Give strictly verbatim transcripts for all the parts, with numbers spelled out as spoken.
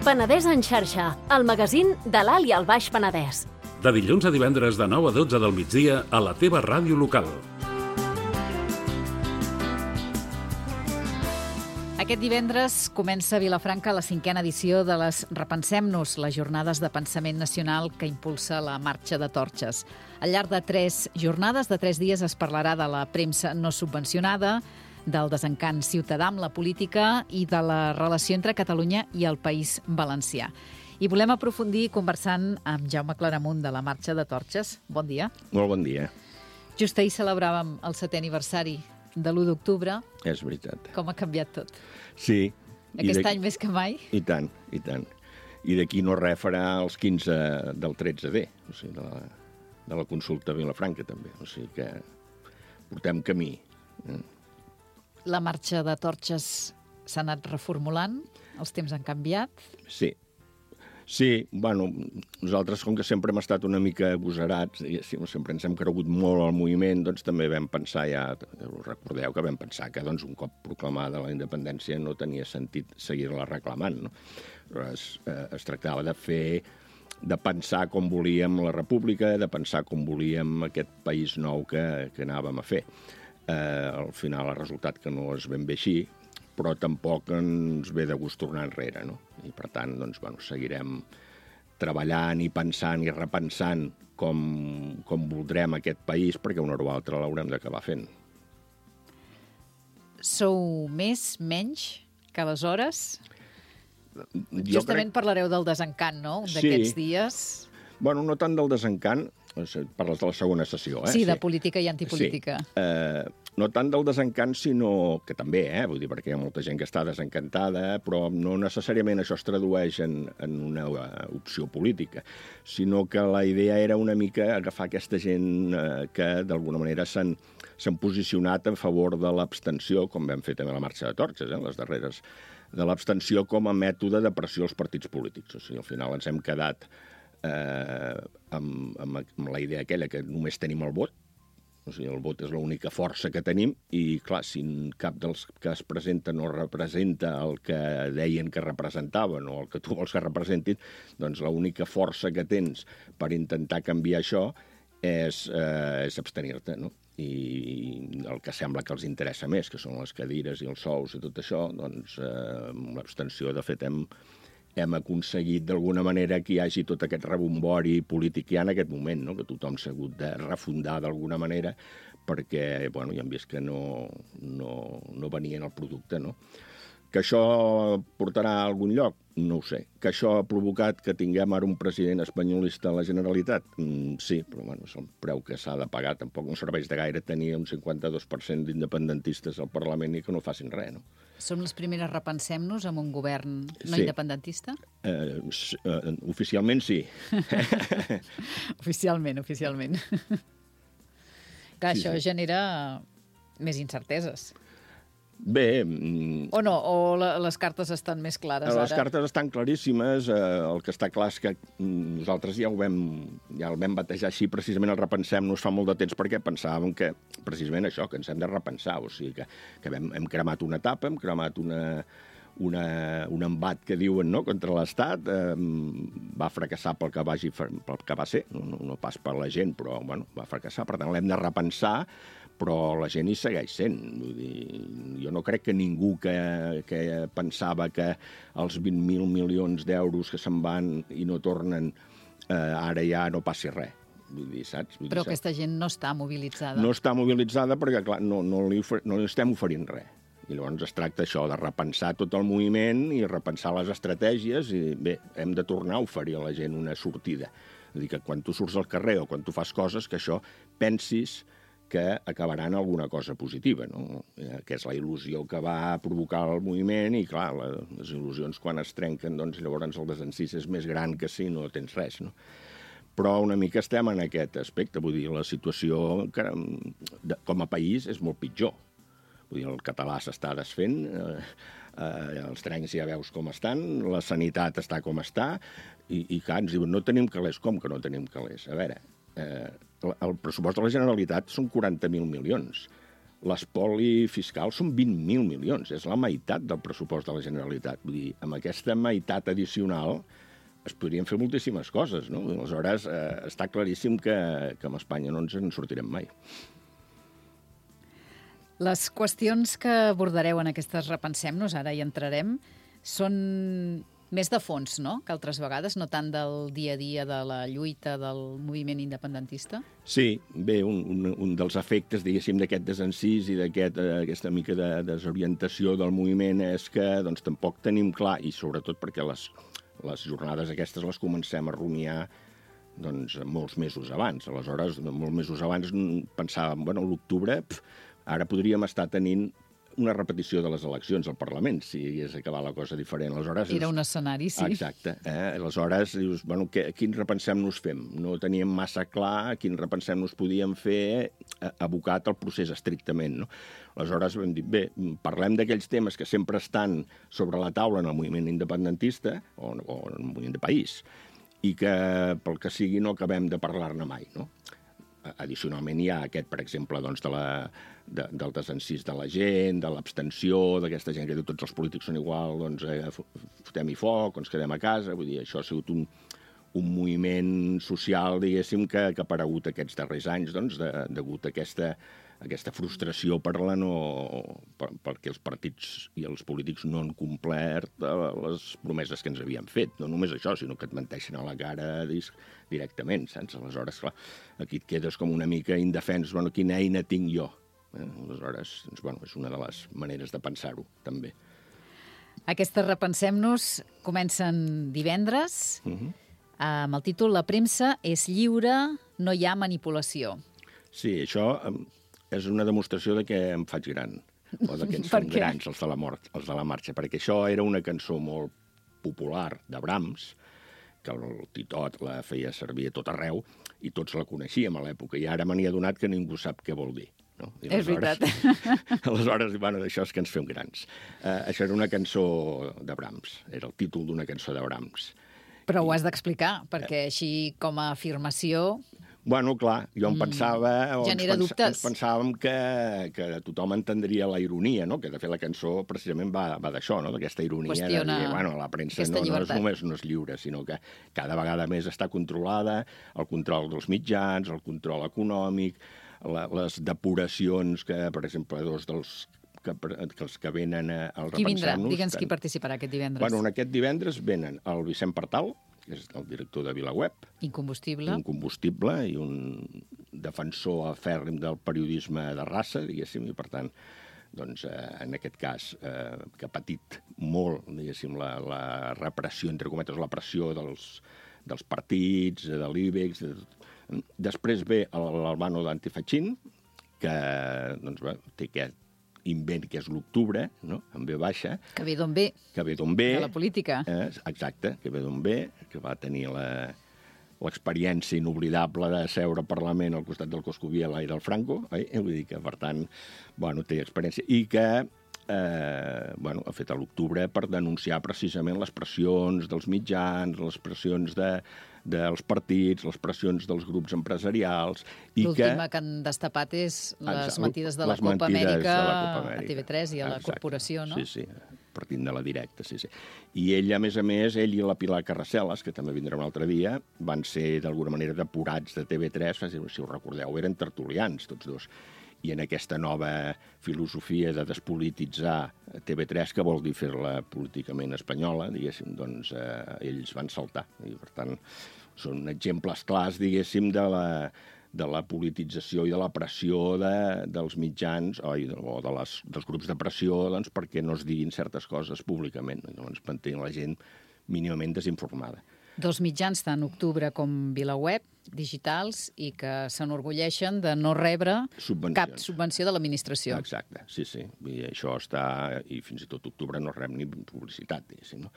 Penedès en xarxa, el magazín de l'Alt i el Baix Penedès. De dilluns a divendres de nou a dotze del migdia a la teva ràdio local. Aquest divendres comença a Vilafranca la cinquena edició de les Repensem-nos, les jornades de pensament nacional que impulsa la Marxa de Torxes. Al llarg de tres jornades, de tres dies, es parlarà de la premsa no subvencionada, del desencant ciutadà amb la política i de la relació entre Catalunya i el País Valencià. I volem aprofundir conversant amb Jaume Claramunt de la Marxa de Torxes. Bon dia. Molt bon dia. Just ahir celebràvem el setè aniversari de l'u d'octubre. És veritat. Com ha canviat tot? Sí. Aquest any més que mai? I tant, i tant. I d'aquí no res farà els quinze del tretze D, o sigui, de la, de la consulta a Vilafranca, també. O sigui que portem camí. La Marxa de Torxes s'ha anat reformulant? Els temps han canviat? Sí. Sí, bueno, nosaltres, com que sempre hem estat una mica agosarats, sempre ens hem cregut molt al moviment, doncs també vam pensar, ja us recordeu que vam pensar que doncs, un cop proclamada la independència no tenia sentit seguir-la reclamant. No? Es, eh, es tractava de fer, de pensar com volíem la república, de pensar com volíem aquest país nou que, que anàvem a fer. Eh, al final ha resultat que no és ben bé així, però tampoc ens ve de gust tornar enrere, no? I per tant, doncs, bueno, seguirem treballant i pensant i repensant com, com voldrem aquest país, perquè una o altra l'haurem d'acabar fent. Sou més, menys que aleshores? Jo Justament crec... parlareu del desencant, no?, un d'aquests sí. dies. Bueno, no tant del desencant, parles de la segona sessió, eh? Sí, de sí. política i antipolítica. Sí. Eh, no tant del desencant, sinó que també, eh? Vull dir, perquè hi ha molta gent que està desencantada, però no necessàriament això es tradueix en, en una opció política, sinó que la idea era una mica agafar aquesta gent eh, que d'alguna manera s'han s'han posicionat en favor de l'abstenció, com vam fer també a la Marxa de Torxes, eh? Les darreres, de l'abstenció com a mètode de pressió als partits polítics. O sigui, al final ens hem quedat Eh, amb, amb, amb la idea aquella que només tenim el vot, o sigui, el vot és l'única força que tenim i, clar, si cap dels que es presenta no representa el que deien que representaven o el que tu vols que representin, doncs l'única força que tens per intentar canviar això és, eh, és abstenir-te, no? I el que sembla que els interessa més, que són les cadires i els sous i tot això, doncs eh, amb l'abstenció, de fet, hem hem aconseguit d'alguna manera que hi hagi tot aquest rebombori polític que hi ha en aquest moment, no? Que tothom s'ha hagut de refundar d'alguna manera perquè, bueno, ja hem vist que no, no, no venien el producte, no? Que això portarà a algun lloc? No ho sé. Que això ha provocat que tinguem ara un president espanyolista a la Generalitat? Mm, sí, però bueno, és el preu que s'ha de pagar. Tampoc no serveix de gaire tenir un cinquanta-dos per cent d'independentistes al Parlament i que no facin res, no? Som les primeres Repensem-nos amb un govern no sí. independentista? Eh, eh, oficialment sí. oficialment, oficialment. Clar, sí, això sí. genera més incerteses. Bé... O no, o la, les cartes estan més clares les ara? Les cartes estan claríssimes. Eh, el que està clar és que nosaltres ja ho vam, ja el vam batejar així, precisament el Repensem-nos fa molt de temps, perquè pensàvem que, precisament això, que ens hem de repensar. O sigui, que, que hem, hem cremat una etapa, hem cremat una, una, un embat que diuen, no?, contra l'Estat. Eh, va fracassar pel que, vagi, pel que va ser, no, no, no pas per la gent, però bueno, va fracassar. Per tant, l'hem de repensar, però la gent hi segueix sent. Vull dir, jo no crec que ningú que, que pensava que els vint mil milions d'euros que se'n van i no tornen, eh, ara ja no passi res. Vull dir, saps? Vull però dir, aquesta gent no està mobilitzada. No està mobilitzada perquè, clar, no, no, li, no li estem oferint res. I llavors es tracta això, de repensar tot el moviment i repensar les estratègies i, bé, hem de tornar a oferir a la gent una sortida. És a dir, que quan tu surts al carrer o quan tu fas coses, que això pensis que acabaran alguna cosa positiva, no? Que és la il·lusió que va provocar el moviment i, clar, les il·lusions quan es trenquen, doncs llavors el desencís és més gran que si no tens res, no? però una mica estem en aquest aspecte. Vull dir, la situació que, de, com a país és molt pitjor. Vull dir, el català s'està desfent, eh, eh, els trens ja veus com estan, la sanitat està com està, i, i clar, ens diuen, no tenim calés. Com que no tenim calés? A veure, eh, el pressupost de la Generalitat són quaranta mil milions. L'espoli fiscal són vint mil milions. És la meitat del pressupost de la Generalitat. Vull dir, amb aquesta meitat addicional es podrien fer moltíssimes coses, no? Aleshores, eh, està claríssim que, que amb Espanya no ens en sortirem mai. Les qüestions que abordareu en aquestes Repensem-nos, ara hi entrarem, són més de fons, no?, que altres vegades, no tant del dia a dia de la lluita del moviment independentista? Sí, bé, un, un, un dels efectes, diguéssim, d'aquest desencís i d'aquesta aquest, mica de desorientació del moviment és que doncs, tampoc tenim clar, i sobretot perquè les, les jornades aquestes les comencem a rumiar doncs, molts mesos abans. Aleshores, molts mesos abans pensàvem, bueno, a l'octubre, ara podríem estar tenint una repetició de les eleccions al Parlament, si hagués acabat la cosa diferent. Aleshores, era un escenari, sí. Exacte. Eh? Aleshores, dius, bueno, que, quin repensem-nos fem? No teníem massa clar quin repensem-nos podíem fer abocat al procés estrictament, no? Aleshores vam dir, bé, parlem d'aquells temes que sempre estan sobre la taula en el moviment independentista, o, o en el moviment de país, i que, pel que sigui, no acabem de parlar-ne mai, no? Addicionalment hi ha aquest, per exemple, doncs, de la, de, del desencís de la gent, de l'abstenció, d'aquesta gent que diu tots els polítics són igual, doncs eh, fotem-hi foc, ens quedem a casa. Vull dir, això ha sigut un, un moviment social, diguéssim, que, que ha aparegut aquests darrers anys, doncs, de, degut a aquesta, aquesta frustració per la no, per, perquè els partits i els polítics no han complert les promeses que ens havien fet. No només això, sinó que et menteixen a la cara directament, saps? Aleshores, clar, aquí et quedes com una mica indefens. Bueno, quina eina tinc jo? Eh? Aleshores, doncs, bueno, és una de les maneres de pensar-ho, també. Aquestes Repensem-nos comencen divendres, uh-huh. amb el títol La premsa és lliure, no hi ha manipulació. Sí, això és una demostració de que em faig gran, o de que ens fem grans, els de la mort, els de la marxa, perquè això era una cançó molt popular de Brahms, que el Titot la feia servir a tot arreu, i tots la coneixíem a l'època, i ara me n'hi ha donat que ningú sap què vol dir. No? I és veritat. Aleshores, bueno, això és que ens fem grans. Uh, això era una cançó de Brahms, era el títol d'una cançó de Brahms. Però ho has d'explicar, perquè així com a afirmació... Bueno, clar, jo em pensava... Mm, genera ens dubtes. Ens pensàvem que, que tothom entendria la ironia, no? Que de fet la cançó precisament va, va d'això, no? D'aquesta ironia. Qüestiona de dir, bueno, la premsa no, no és només no és lliure, sinó que cada vegada més està controlada, el control dels mitjans, el control econòmic, la, les depuracions que, per exemple, dos dels que, que els que venen al Repensem-nos... Qui vindrà? Digue'ns qui participarà aquest divendres. Bueno, en aquest divendres venen el Vicent Partal, que és el director de VilaWeb. Incombustible. Incombustible i un defensor afèrrim del periodisme de raça, diguéssim, i per tant, doncs, eh, en aquest cas, eh, que ha patit molt, diguéssim, la, la repressió, entre cometes, la pressió dels, dels partits, de l'Ibex. De... Després ve l'Albano d'Antifachín, que doncs, bé, té aquest invent que és l'octubre, no? En ve baixa. Que ve d'on ve. Que ve d'on ve. De la política. Eh, exacte, que ve d'on ve, que va tenir la, l'experiència inoblidable de seure al Parlament al costat del Coscubiela i del Franco, eh? Vull dir que, per tant, bueno, té experiència, i que eh, bueno, ha fet a l'octubre per denunciar precisament les pressions dels mitjans, les pressions de, dels partits, les pressions dels grups empresarials. L'última que... que han destapat és les mentides de la Copa Amèrica a T V tres i a la Exacte. Corporació, no? Sí, sí, partint de la directa, sí, sí. I ell, a més a més, ell i la Pilar Carraceles, que també vindrà un altre dia, van ser d'alguna manera depurats de T V tres, si us recordeu, eren tertulians tots dos. I en aquesta nova filosofia de despolititzar T V tres, que vol dir fer-la políticament espanyola, diguéssim, doncs eh, ells van saltar. I, per tant, són exemples clars, diguéssim, de la, de la politització i de la pressió de, dels mitjans o, o de les, dels grups de pressió, doncs, perquè no es diguin certes coses públicament. Llavors mantenir la gent mínimament desinformada. Dos mitjans, tant Octubre com VilaWeb, digitals, i que s'enorgulleixen de no rebre cap subvenció de l'administració. Exacte, sí, sí. I això està... I fins i tot Octubre no rep ni publicitat, diguéssim, no?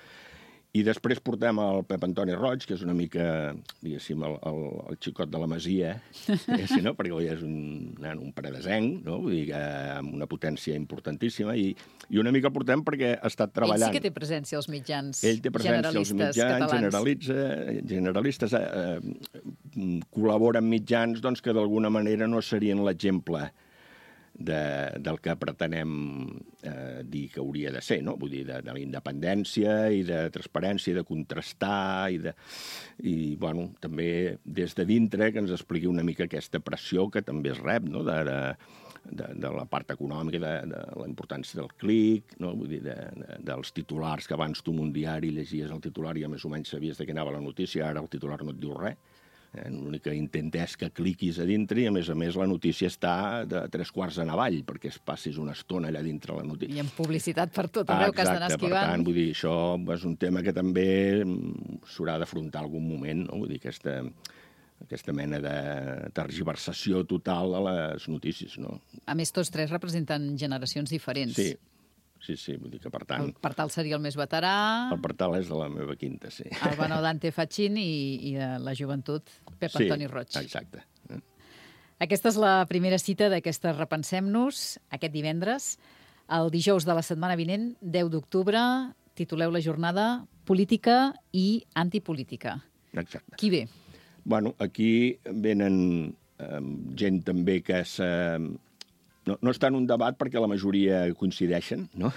I després portem el Pep Antoni Roig, que és una mica, diguéssim, el, el, el xicot de la Masia, diguéssim, no? Perquè ell és un, un paredesenc, no? Vull dir que amb una potència importantíssima, i, i una mica el portem perquè ha estat treballant. Ell sí que té presència als mitjans Ell té presència als mitjans, generalitza, generalistes, eh, eh, col·labora amb mitjans doncs, que d'alguna manera no serien l'exemple De, del que pretenem eh, dir que hauria de ser, no? Vull dir, de, de la independència i de transparència, de contrastar, i, de, i bueno, també des de dintre que ens expliqui una mica aquesta pressió que també es rep, no? de, de, de, de la part econòmica, de, de la importància del clic, no? Vull dir, de, de, dels titulars, que abans tu en un diari llegies el titular i més o menys sabies de què anava la notícia, ara el titular no et diu res. Eh, L'únic que intent és que cliquis a dintre i, a més a més, la notícia està de tres quarts en avall, perquè es passis una estona allà dintre la notícia. I amb publicitat per tot arreu, ah, que has d'anar esquivant. Per tant, vull dir, això és un tema que també s'haurà d'afrontar algun moment, no? Vull dir, aquesta, aquesta mena de tergiversació total de les notícies, no? A més, tots tres representen generacions diferents. Sí. Sí, sí, vull dir que, per tant... El Partal seria el més veterà... El Partal és de la meva quinta, sí. El Benó Dante Fachin i, i de la joventut Pep sí, Antoni Roig. Exacte. Aquesta és la primera cita d'aquesta Repensem-nos, aquest divendres. El dijous de la setmana vinent, deu d'octubre, tituleu la jornada Política i antipolítica. Exacte. Qui ve? Bueno, aquí venen eh, gent també que és... Eh, No, no està en un debat perquè la majoria coincideixen, no?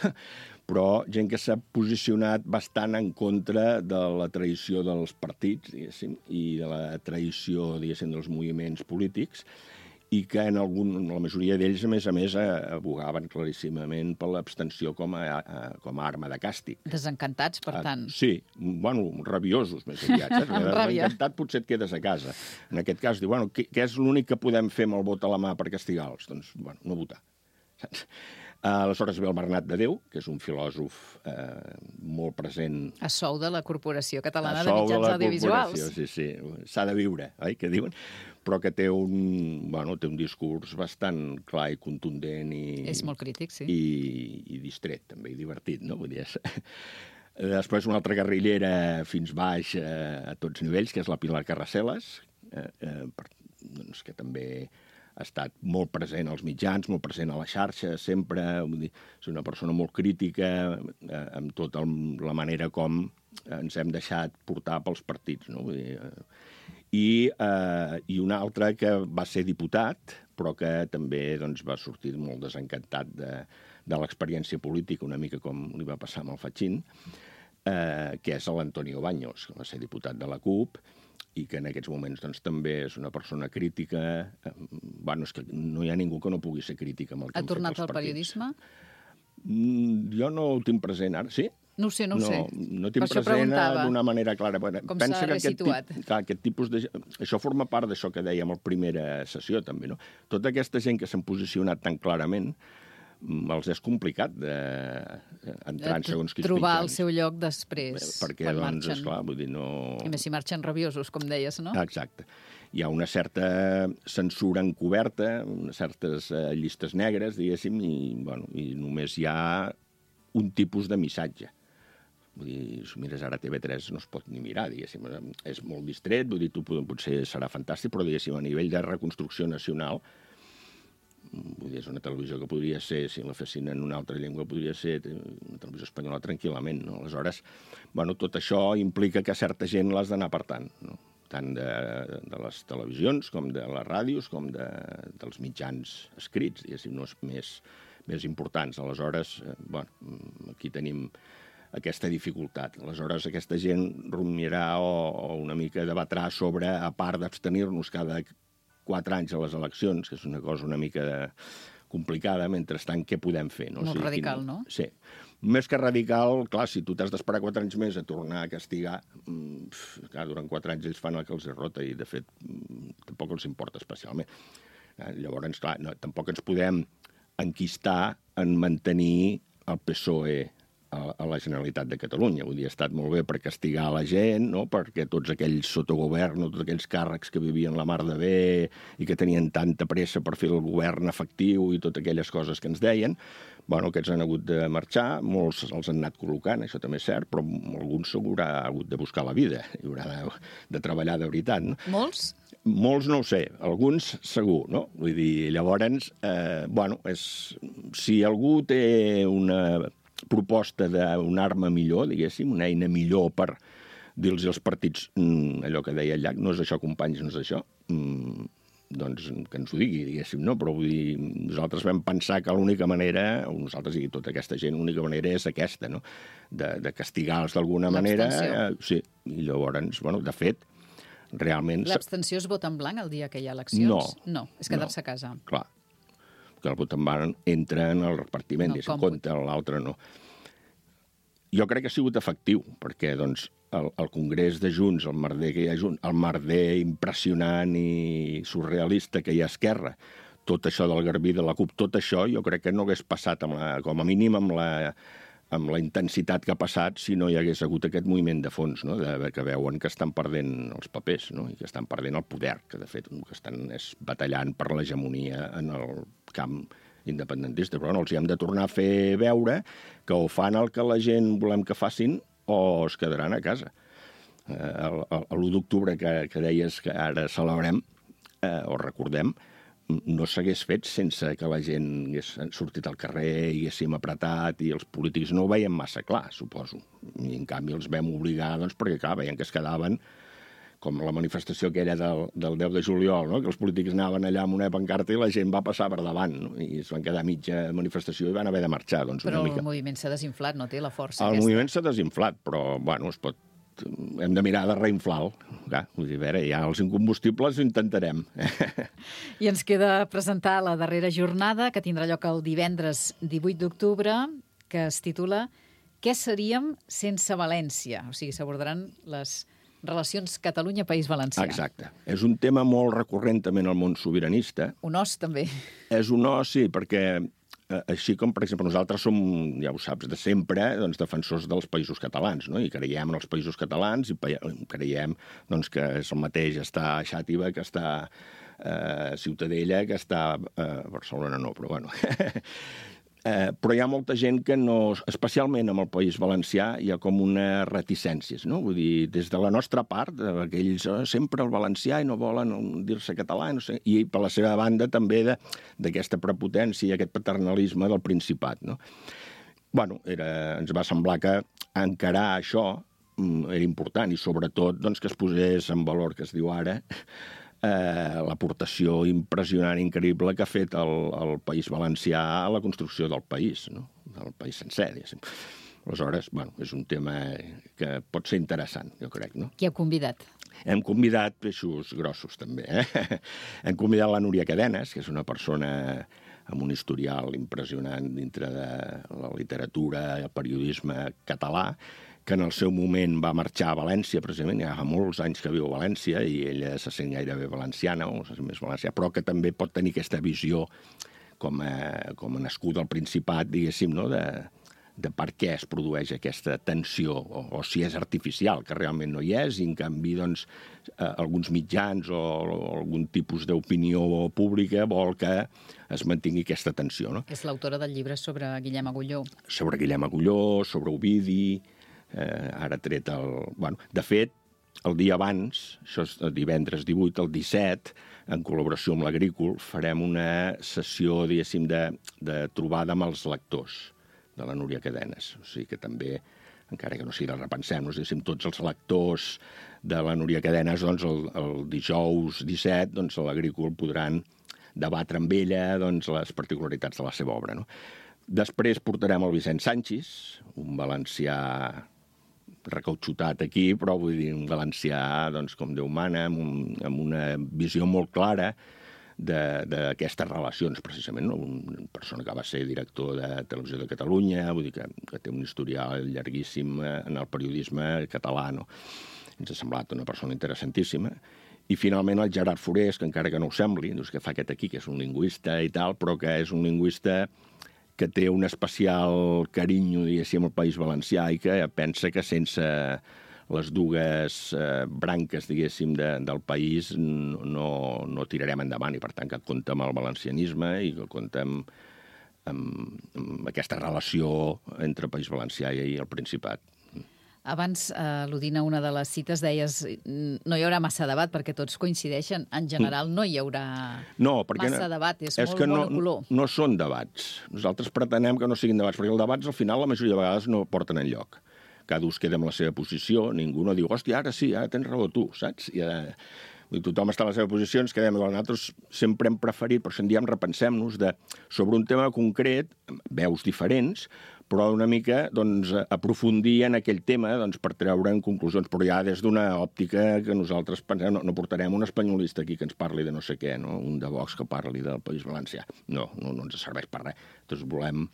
Però gent que s'ha posicionat bastant en contra de la traïció dels partits, diguéssim, i de la traïció, diguéssim, dels moviments polítics, i que en, algun, en la majoria d'ells, a més a més, abogaven claríssimament per l'abstenció com a, a, com a arma de càstig. Desencantats, per tant. Sí, bueno, rabiosos, més aviat. Desencantat potser et quedes a casa. En aquest cas, diu, bueno, què, què és l'únic que podem fer amb el vot a la mà per castigar-los? Doncs, bueno, no votar. Saps? Aleshores ve el Bernat de Déu, que és un filòsof eh, molt present... A sou de la Corporació Catalana de Mitjans Audiovisuals. Sí, sí, s'ha de viure, oi, que diuen? Però que té un, bueno, té un discurs bastant clar i contundent i... És molt crític, sí. I, i distret, també, i divertit, no? Vull dir, és... Després una altra guerrillera fins baix eh, a tots nivells, que és la Pilar Carraceles, eh, eh, per, doncs, que també... ha estat molt present als mitjans, molt present a la xarxa, sempre, vull dir, és una persona molt crítica eh, amb tota la manera com ens hem deixat portar pels partits, no? Vull dir, eh, i, eh, i un altre que va ser diputat, però que també doncs, va sortir molt desencantat de, de l'experiència política, una mica com li va passar amb el Fachin, eh, que és l'Antonio Baños, que va ser diputat de la CUP, i que en aquests moments doncs, també és una persona crítica. Eh, bueno, és que no hi ha ningú que no pugui ser crítica amb el que ha han fet els tornat al partits. periodisme? Mm, jo no ho tinc present ara. Sí? No ho sé, no ho no, sé. No tinc present d'una manera clara. Com s'ha resituat? Aquest, clar, aquest tipus de... Això forma part d'això que dèiem a la primera sessió, també, no? Tota aquesta gent que s'han posicionat tan clarament, els és complicat d'entrar en segons quins trobar mitjans. el seu lloc després, perquè, quan doncs, marxen. Esclar, vull dir, no... I més si marxen rabiosos, com deies, no? Exacte. Hi ha una certa censura encoberta, unes certes eh, llistes negres, diguéssim, i, bueno, i només hi ha un tipus de missatge. Vull dir, si mires ara T V tres no es pot ni mirar, diguéssim. És molt distret, vull dir, tu potser serà fantàstic, però, diguéssim, a nivell de reconstrucció nacional, vull dir, és una televisió que podria ser, si la fessin en una altra llengua, podria ser una televisió espanyola tranquil·lament, no? Aleshores, bueno, tot això implica que certa gent l'has d'anar apartant, no? Tant de, de les televisions, com de les ràdios, com de, dels mitjans escrits, diguéssim, no és més, més importants. Aleshores, eh, bueno, aquí tenim aquesta dificultat. Aleshores, aquesta gent rumiarà o, o una mica debatrà sobre, a part d'abstenir-nos cada quatre anys a les eleccions, que és una cosa una mica de... complicada, mentrestant, què podem fer? No? Molt o sigui, radical, quin... no? Sí. Més que radical, clar, si tu t'has d'esperar quatre anys més a tornar a castigar, pf, clar, durant quatre anys ells fan el que els rota i, de fet, tampoc els importa especialment. Llavors, clar, no, tampoc ens podem enquistar en mantenir el P S O E a la Generalitat de Catalunya. Vull dir, ha estat molt bé per castigar la gent, no? Perquè tots aquells sotogovern, no? Tots aquells càrrecs que vivien la mar de bé i que tenien tanta pressa per fer el govern efectiu i totes aquelles coses que ens deien, bueno, aquests han hagut de marxar, molts els han anat col·locant, això també és cert, però alguns s'haurà hagut de buscar la vida, i haurà de, de treballar de veritat. No? Molts? Molts no ho sé, alguns segur, no? Vull dir, llavors, eh, bueno, és, si algú té una proposta d'una arma millor, diguéssim, una eina millor per dir-los als partits allò que deia el Llach, no és això, companys, no és això, mm, doncs que ens ho digui, diguéssim, no? Però vull dir, nosaltres vam pensar que l'única manera, o nosaltres i tota aquesta gent, l'única manera és aquesta, no? De, de castigar-los d'alguna manera. Eh, sí, i llavors, bueno, de fet, realment... L'abstenció es vota en blanc el dia que hi ha eleccions? No. No, és quedar-se a casa. Clar, que el vot en blanc entra en el repartiment, No, i se'n com compta, l'altre no. Jo crec que ha sigut efectiu, perquè doncs, el, el Congrés de Junts, el merder que hi ha Junts, el merder impressionant i surrealista que hi ha a Esquerra, tot això del Garbí de la CUP, tot això jo crec que no hagués passat, amb la, com a mínim, amb la, amb la intensitat que ha passat si no hi hagués hagut aquest moviment de fons, no? De, que veuen que estan perdent els papers, no? I que estan perdent el poder, que de fet el que estan és batallant per l'hegemonia en el camp independentista. Però no, els hi hem de tornar a fer veure que o fan el que la gent volem que facin o es quedaran a casa. L'u d'octubre que, que deies que ara celebrem, eh, o recordem, no s'hagués fet sense que la gent hagués sortit al carrer i haguéssim apretat, i els polítics no ho veien massa clar, suposo. I en canvi els vam obligar, doncs, perquè clar, veien que es quedaven, com la manifestació aquella del, del deu de juliol, no? Que els polítics anaven allà amb una pancarta i la gent va passar per davant, no? I es van quedar a mitja manifestació i van haver de marxar. Doncs, però una mica. El moviment s'ha desinflat, no té la força el aquesta. El moviment s'ha desinflat, però, bueno, es pot... hem de mirar de reinflar-lo. Vull dir, a veure, ja els incombustibles ho intentarem. I ens queda presentar la darrera jornada, que tindrà lloc el divendres divuit d'octubre, que es titula Què seríem sense València? O sigui, s'abordaran les relacions Catalunya-País Valencià. Exacte. És un tema molt recurrent també en el món sobiranista. Un os, també. És un os, sí, perquè així com, per exemple, nosaltres som, ja ho saps, de sempre, doncs, defensors dels països catalans, no? I creiem en els països catalans i creiem doncs, que és el mateix estar a Xàtiva que estar a Ciutadella, que estar a Barcelona, no, però bueno... Eh, però hi ha molta gent que no... Especialment amb el País Valencià hi ha com una reticències, no? Vull dir, des de la nostra part, aquells oh, sempre el valencià i no volen dir-se català, no sé, i per la seva banda també d'aquesta prepotència i aquest paternalisme del Principat, no? Bueno, era, ens va semblar que encarar això era important i sobretot doncs, que es posés en valor, que es diu ara, Eh, l'aportació impressionant, increïble que ha fet el, el País Valencià a la construcció del país, no? Del país sencer, diguéssim. Aleshores, bueno, és un tema que pot ser interessant, jo crec, no? Qui heu convidat? Hem convidat peixos grossos, també, eh? Hem convidat la Núria Cadenes, que és una persona amb un historial impressionant dintre de la literatura i el periodisme català, que en el seu moment va marxar a València, precisament, ja fa molts anys que viu a València, i ella se sent gairebé valenciana, o se sent més valencià, però que també pot tenir aquesta visió com a, com a nascuda al Principat, diguéssim, no?, de, de per què es produeix aquesta tensió, o, o si és artificial, que realment no hi és, i en canvi, doncs, eh, alguns mitjans o, o algun tipus d'opinió pública vol que es mantingui aquesta tensió, no? És l'autora del llibre sobre Guillem Agulló. Sobre Guillem Agulló, sobre Ovidi... Eh, ara tret el... Bueno, de fet, el dia abans, això és el divendres divuit, el disset, en col·laboració amb l'Agrícol, farem una sessió, diguéssim, de, de trobada amb els lectors de la Núria Cadenes. O sigui que també, encara que no sigui de repensem-nos, diguéssim, tots els lectors de la Núria Cadenes, doncs, el, el dijous disset, doncs, a l'Agrícol podran debatre amb ella doncs, les particularitats de la seva obra, no? Després portarem el Vicent Sanchis, un valencià recautxutat aquí, però vull dir, un valencià, doncs, com Déu mana, amb, un, amb una visió molt clara d'aquestes relacions, precisament, no? Una persona que va ser director de Televisió de Catalunya, vull dir que, que té un historial llarguíssim en el periodisme català, no? Ens ha semblat una persona interessantíssima. I finalment el Gerard Forés, que encara que no ho sembli, doncs, que fa aquest aquí, que és un lingüista i tal, però que és un lingüista que té un especial carinyo, diguéssim, al País Valencià i que pensa que sense les dues eh, branques, diguéssim, de, del país no, no tirarem endavant i, per tant, que compta amb el valencianisme i que compta amb, amb, amb aquesta relació entre el País Valencià i el Principat. Abans, eh, al·ludint a una de les cites, deies no hi haurà massa debat perquè tots coincideixen. En general no hi haurà no, perquè massa debat, és, és molt que no, monocolor. No són debats. Nosaltres pretenem que no siguin debats, perquè els debats al final la majoria de vegades no porten enlloc. Cada ús queda amb la seva posició, ningú no diu, hòstia, ara sí, ara tens raó tu, saps? I ara... tothom està a la seva posició, ens quedem. Nosaltres sempre hem preferit, per això en diem repensem-nos, de, sobre un tema concret, veus diferents, però una mica doncs, aprofundir en aquell tema doncs, per treure'n conclusions, però ja des d'una òptica que nosaltres pensem, no, no portarem un espanyolista aquí que ens parli de no sé què, no? Un de Vox que parli del País Valencià. No, no, no ens serveix per res. Doncs volem,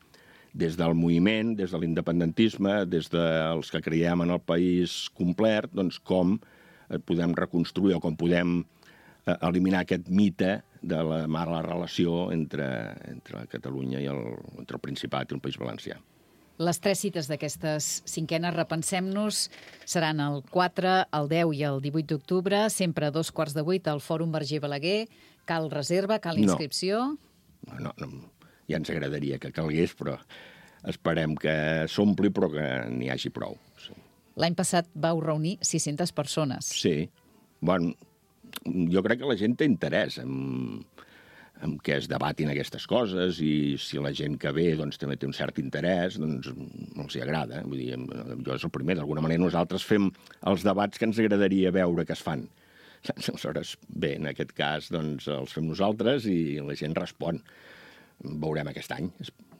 des del moviment, des de l'independentisme, des dels que creiem en el país complet, doncs com podem reconstruir o com podem eliminar aquest mite de la mala relació entre, entre Catalunya i el, entre el Principat i el País Valencià. Les tres cites d'aquestes cinquenes Repensem-nos seran el quatre, el deu i el divuit d'octubre, sempre a dos quarts de vuit al Fòrum Verger Balaguer. Cal reserva, cal inscripció? No, no, no, ja ens agradaria que calgués, però esperem que s'ompli, però que n'hi hagi prou. Sí. L'any passat vau reunir sis-centes persones. Sí. Bueno, jo crec que la gent té interès en, en què es debatin aquestes coses i si la gent que ve doncs, també té un cert interès, doncs els hi agrada. Vull dir, jo és el primer. D'alguna manera nosaltres fem els debats que ens agradaria veure que es fan. Aleshores, bé, en aquest cas doncs, els fem nosaltres i la gent respon. Veurem aquest any,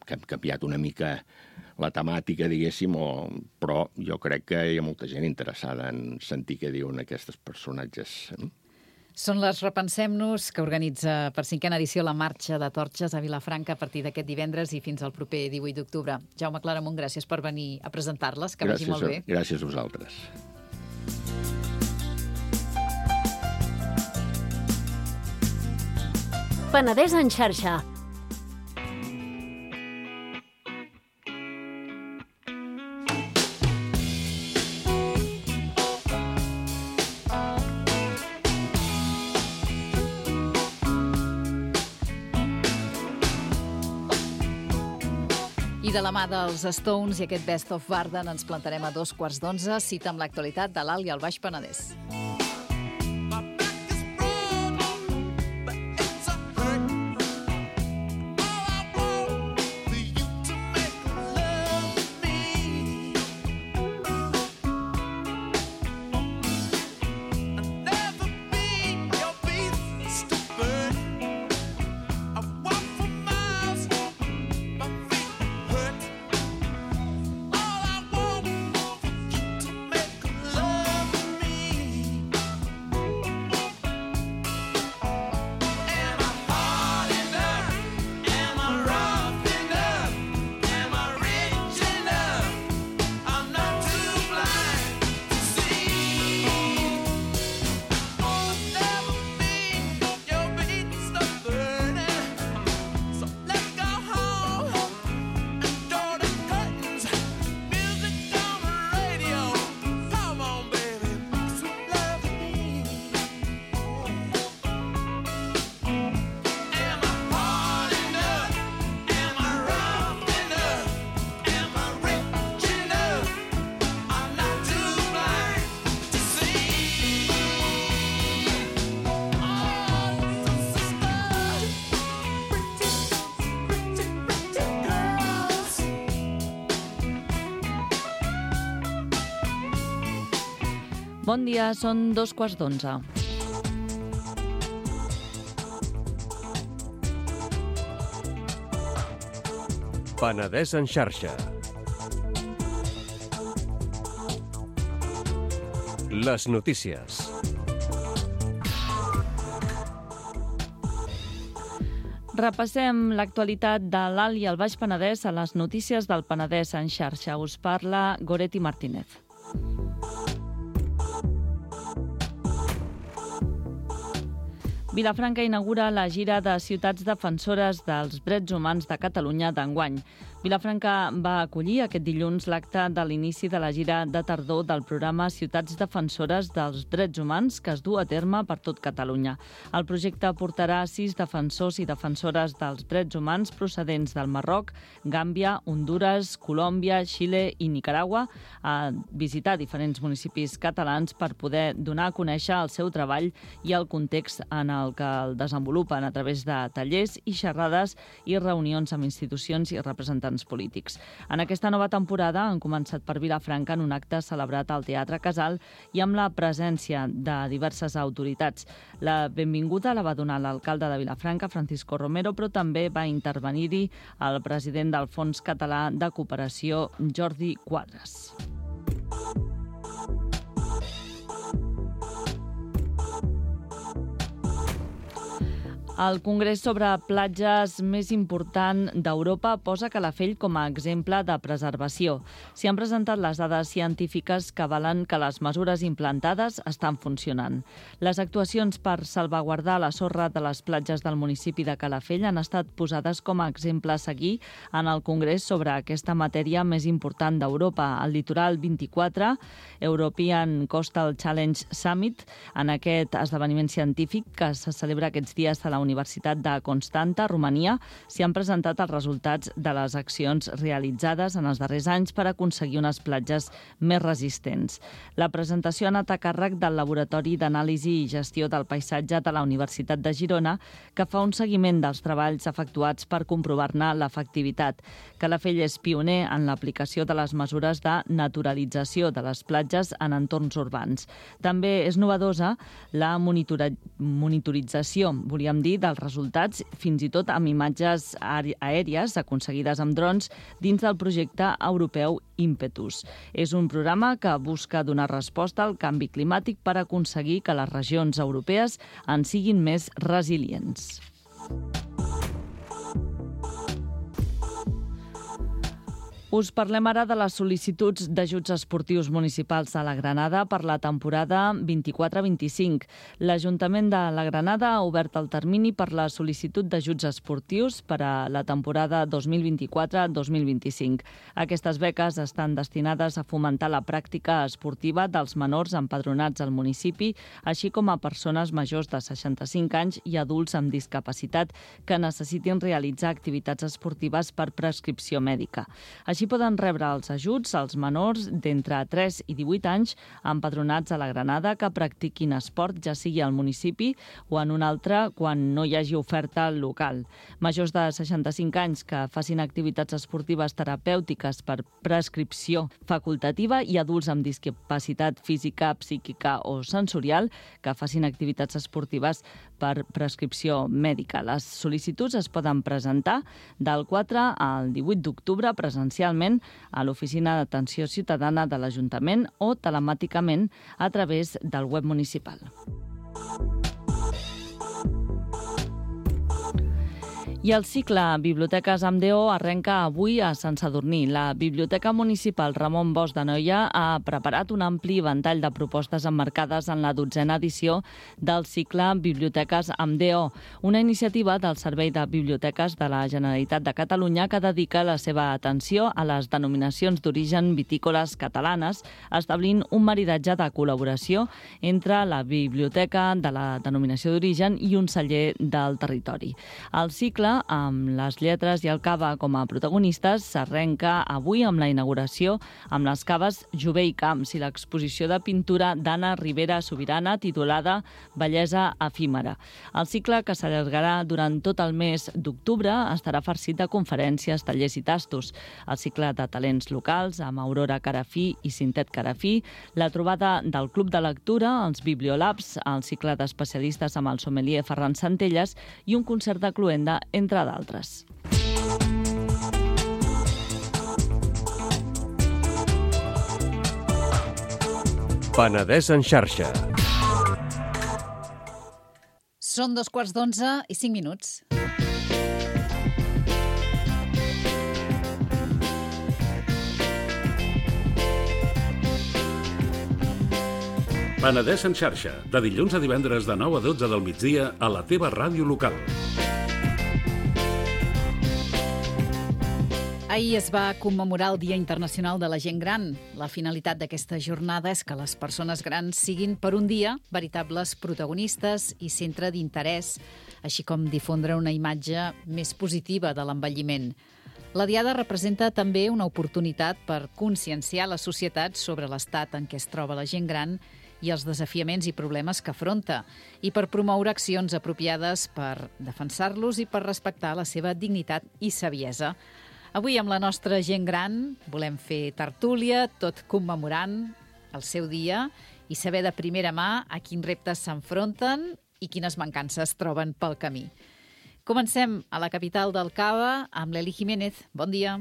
que hem canviat una mica la temàtica, diguéssim, o... però jo crec que hi ha molta gent interessada en sentir què diuen aquests personatges. Són les Repensem-nos, que organitza per cinquena edició la Marxa de Torxes a Vilafranca a partir d'aquest divendres i fins al proper divuit d'octubre. Jaume Claramunt, gràcies per venir a presentar-les, que vagi molt bé. Gràcies a vosaltres. Penedès en xarxa. I de la mà dels Stones i aquest Best of Barden ens plantarem a dos quarts d'onze, cita amb l'actualitat de l'Alt i el Baix Penedès. Bon dia, són dos quarts d'onze. Penedès en xarxa. Les notícies. Repassem l'actualitat de l'Alt i el Baix Penedès a les notícies del Penedès en xarxa. Us parla Goretti Martínez. Vilafranca inaugura la gira de ciutats defensores dels drets humans de Catalunya d'enguany. Vilafranca va acollir aquest dilluns l'acte de l'inici de la gira de tardor del programa Ciutats Defensores dels Drets Humans que es du a terme per tot Catalunya. El projecte portarà sis defensors i defensores dels drets humans procedents del Marroc, Gàmbia, Hondures, Colòmbia, Xile i Nicaragua a visitar diferents municipis catalans per poder donar a conèixer el seu treball i el context en el que el desenvolupen a través de tallers i xerrades i reunions amb institucions i representants polítics. En aquesta nova temporada han començat per Vilafranca en un acte celebrat al Teatre Casal i amb la presència de diverses autoritats. La benvinguda la va donar l'alcalde de Vilafranca, Francisco Romero, però també va intervenir-hi el president del Fons Català de Cooperació, Jordi Quadras. El congrés sobre platges més important d'Europa posa Calafell com a exemple de preservació. S'hi han presentat les dades científiques que avalen que les mesures implantades estan funcionant. Les actuacions per salvaguardar la sorra de les platges del municipi de Calafell han estat posades com a exemple a seguir en el congrés sobre aquesta matèria més important d'Europa, el Litoral vint-i-quatre, European Coastal Challenge Summit, en aquest esdeveniment científic que se celebra aquests dies a la Universitat de Constanta, Romania, s'hi han presentat els resultats de les accions realitzades en els darrers anys per aconseguir unes platges més resistents. La presentació ha anat a càrrec del Laboratori d'Anàlisi i Gestió del Paisatge de la Universitat de Girona, que fa un seguiment dels treballs efectuats per comprovar-ne l'efectivitat. Calafell és pioner en l'aplicació de les mesures de naturalització de les platges en entorns urbans. També és novedosa la monitora- monitorització, volíem dir, dels resultats, fins i tot amb imatges aèries aconseguides amb drons dins del projecte europeu Impetus. És un programa que busca donar resposta al canvi climàtic per aconseguir que les regions europees en siguin més resilients. Us parlem ara de les sol·licituds d'ajuts esportius municipals a la Granada per la temporada vint-i-quatre vint-i-cinc. L'Ajuntament de la Granada ha obert el termini per la sol·licitud d'ajuts esportius per a la temporada dos mil vint-i-quatre dos mil vint-i-cinc. Aquestes beques estan destinades a fomentar la pràctica esportiva dels menors empadronats al municipi, així com a persones majors de seixanta-cinc anys i adults amb discapacitat que necessitin realitzar activitats esportives per prescripció mèdica. Així poden rebre els ajuts als menors d'entre tres i divuit anys empadronats a la Granada que practiquin esport, ja sigui al municipi o en un altre quan no hi hagi oferta local. Majors de seixanta-cinc anys que facin activitats esportives terapèutiques per prescripció facultativa i adults amb discapacitat física, psíquica o sensorial que facin activitats esportives per prescripció mèdica. Les sol·licituds es poden presentar del quatre al divuit d'octubre presencialment a l'Oficina d'Atenció Ciutadana de l'Ajuntament o telemàticament a través del web municipal. I el cicle Biblioteques amb D O arrenca avui a Sant Sadurní. La Biblioteca Municipal Ramon Bosch de Noia ha preparat un ampli ventall de propostes emmarcades en la dotzena edició del cicle Biblioteques amb D O, una iniciativa del Servei de Biblioteques de la Generalitat de Catalunya que dedica la seva atenció a les denominacions d'origen vitícoles catalanes, establint un maridatge de col·laboració entre la biblioteca de la denominació d'origen i un celler del territori. El cicle, amb les lletres i el cava com a protagonistes, s'arrenca avui amb la inauguració amb les caves Jové i Camps i l'exposició de pintura d'Anna Ribera Sobirana titulada Bellesa efímera. El cicle, que s'allargarà durant tot el mes d'octubre, estarà farcit de conferències, tallers i tastos. El cicle de talents locals amb Aurora Carafí i Cintet Carafí, la trobada del Club de Lectura, els Bibliolabs, el cicle d'especialistes amb el sommelier Ferran Centelles i un concert de cloenda, entre d'altres. Penedès en xarxa. Són dos quarts d'onze i cinc minuts. Penedès en xarxa, de dilluns a divendres de nou a dotze del migdia a la teva ràdio local. Ahir es va commemorar el Dia Internacional de la Gent Gran. La finalitat d'aquesta jornada és que les persones grans siguin per un dia veritables protagonistes i centre d'interès, així com difondre una imatge més positiva de l'envelliment. La Diada representa també una oportunitat per conscienciar la societat sobre l'estat en què es troba la gent gran i els desafiaments i problemes que afronta, i per promoure accions apropiades per defensar-los i per respectar la seva dignitat i saviesa. Avui, amb la nostra gent gran, volem fer tertúlia, tot commemorant el seu dia i saber de primera mà a quins reptes s'enfronten i quines mancances troben pel camí. Comencem a la capital del Cava amb l'Eli Jiménez. Bon dia.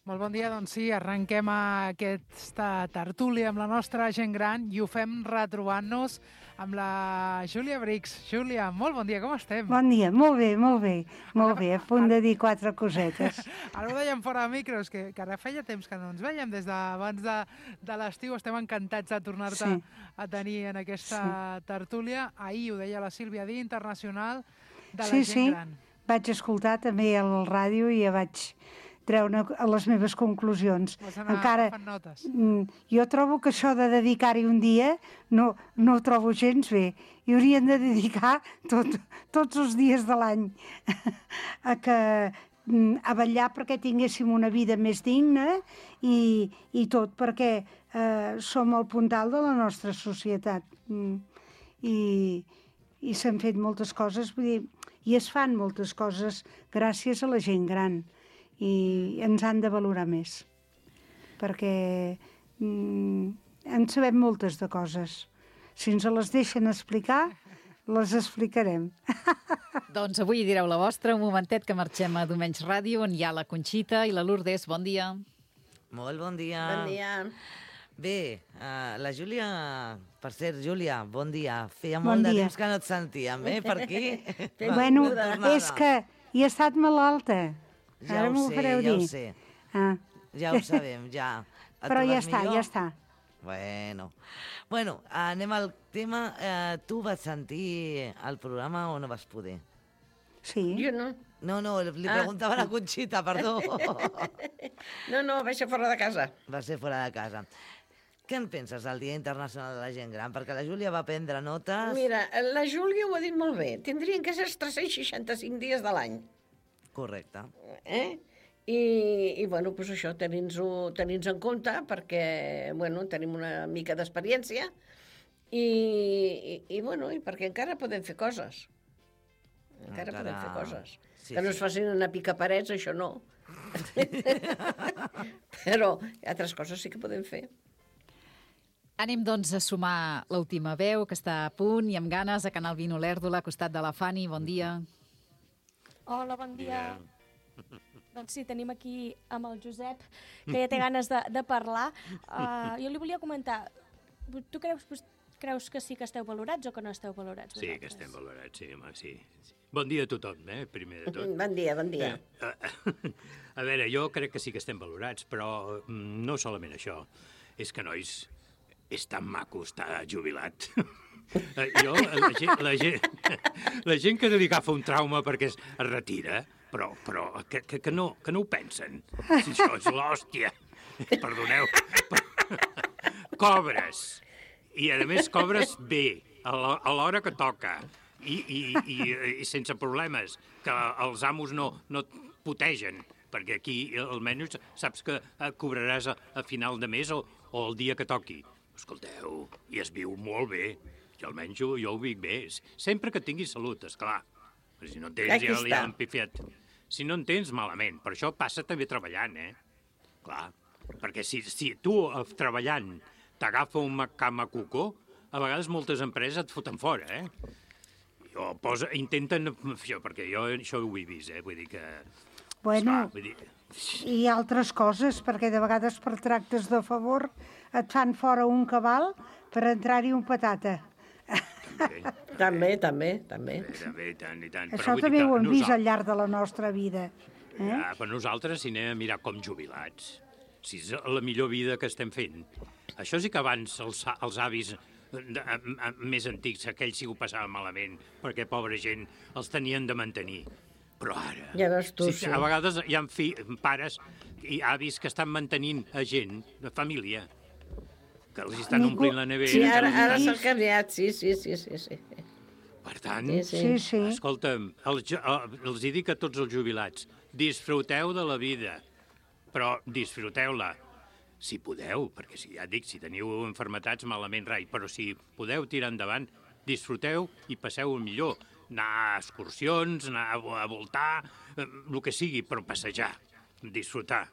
Molt bon dia, doncs sí, arrenquem aquesta tertúlia amb la nostra gent gran i ho fem retrobant-nos amb la Júlia Brix. Júlia, molt bon dia, com estem? Bon dia, molt bé, molt bé, molt bé, a punt de dir quatre cosetes. Ara ho dèiem fora de micros, que, que ara feia temps que no ens veiem, des d'abans de, de l'estiu, estem encantats de tornar-te sí. a tenir en aquesta sí. tertúlia. Ahir ho deia la Sílvia, Dia Internacional de la sí, Gent sí. Gran. Vaig escoltar també al ràdio i ja vaig treure les meves conclusions. Encara, notes. Jo trobo que això de dedicar-hi un dia no, no ho trobo gens bé. Hi haurien de dedicar tot, tots els dies de l'any a, que, a vetllar perquè tinguéssim una vida més digna i, i tot perquè eh, som el puntal de la nostra societat. I, i s'han fet moltes coses, vull dir, i es fan moltes coses gràcies a la gent gran. I ens han de valorar més, perquè mm, en sabem moltes de coses. Si ens les deixen explicar, les explicarem. Doncs avui direu la vostra, un momentet que marxem a Domenys Ràdio, on hi ha la Conxita i la Lourdes. Bon dia. Molt bon dia. Bon dia. Bé, uh, la Júlia, per cert, Júlia, bon dia. Feia bon molt dia. de temps que no et sentíem, eh, per aquí. Bueno, és que hi he estat malalta. Ja Ara ho sé, ja dir. ho sé. Ah. Ja ho sabem, ja. Et Però ja trobes està, millor? ja està. Bueno. Bueno, anem al tema. Eh, tu vas sentir el programa o no vas poder? Sí. Jo no. No, no, li Ah. preguntava a la Conxita, perdó. No, no, vaig ser fora de casa. Va ser fora de casa. Què en penses del Dia Internacional de la Gent Gran? Perquè la Júlia va prendre notes... Mira, la Júlia ho ha dit molt bé. Tindrien que ser els tres-cents seixanta-cinc dies de l'any. Correcte. Eh? I, i bueno, doncs això, tenir-nos tenir en compte, perquè, bueno, tenim una mica d'experiència i, i, i, bueno, i perquè encara podem fer coses. Encara, encara... podem fer coses. Sí, que no es facin una pica parets, això no. Però altres coses sí que podem fer. Anem, doncs, a sumar l'última veu, que està a punt i amb ganes, a Canal vint Olèrdola, al costat de la Fanny. Bon dia. Hola, bon dia. Yeah. Doncs sí, tenim aquí amb el Josep, que ja té ganes de, de parlar. Uh, jo li volia comentar, tu creus, creus que sí que esteu valorats o que no esteu valorats? Sí, vosaltres? Que estem valorats, sí, home, sí. Bon dia a tothom, eh, primer de tot. Bon dia, bon dia. Eh, a veure, jo crec que sí que estem valorats, però no solament això. És que, nois, és tan maco estar jubilat. Jo, la gent, la, gent, la gent que li agafa un trauma perquè es retira, però, però que, que, que, no, que no ho pensen. Si això és l'hòstia. Perdoneu. Cobres. I, a més, cobres bé, a l'hora que toca. I, i, i, i sense problemes, que els amos no, no et putegen, perquè aquí almenys saps que cobraràs a, a final de mes o, o el dia que toqui. Escolteu, i es viu molt bé. Jo almenys jo, jo ho vic bé. Sempre que tinguis salut, esclar. Però si no en tens, ja li han pifiat. Si no en tens, malament. Per això passa també treballant, eh? Clar, perquè si, si tu, treballant, t'agafa un camacucó, a vegades moltes empreses et foten fora, eh? O posa, intenten... Això, perquè jo això ho he vist, eh? Vull dir que... Bueno, esclar, vull dir... i altres coses, perquè de vegades per tractes de favor et fan fora un cabal per entrar-hi un patata. També, també, també. també tant, i tant. Això també ho hem vist al llarg de la nostra vida. Eh? Ja, per nosaltres, si anem a mirar com jubilats, si és la millor vida que estem fent. Això sí que abans els, els avis de, a, a, més antics, aquells sí ho passaven malament, perquè, pobra gent, els tenien de mantenir. Però ara... Ja veus tu, sí. A vegades hi ha fi, pares i avis que estan mantenint a gent, de família, que els estan Ningú... omplint la nevera... Sí, ara, estan... ara s'ha canviat, sí, sí, sí, sí, sí. Per tant, sí, sí. Sí, sí. escolta'm, els, els hi dic a tots els jubilats, disfruteu de la vida, però disfruteu-la, si podeu, perquè si ja dic, si teniu enfermetats, malament rai, però si podeu tirar endavant, disfruteu i passeu el millor. Anar a excursions, anar a voltar, el que sigui, però passejar, disfrutar,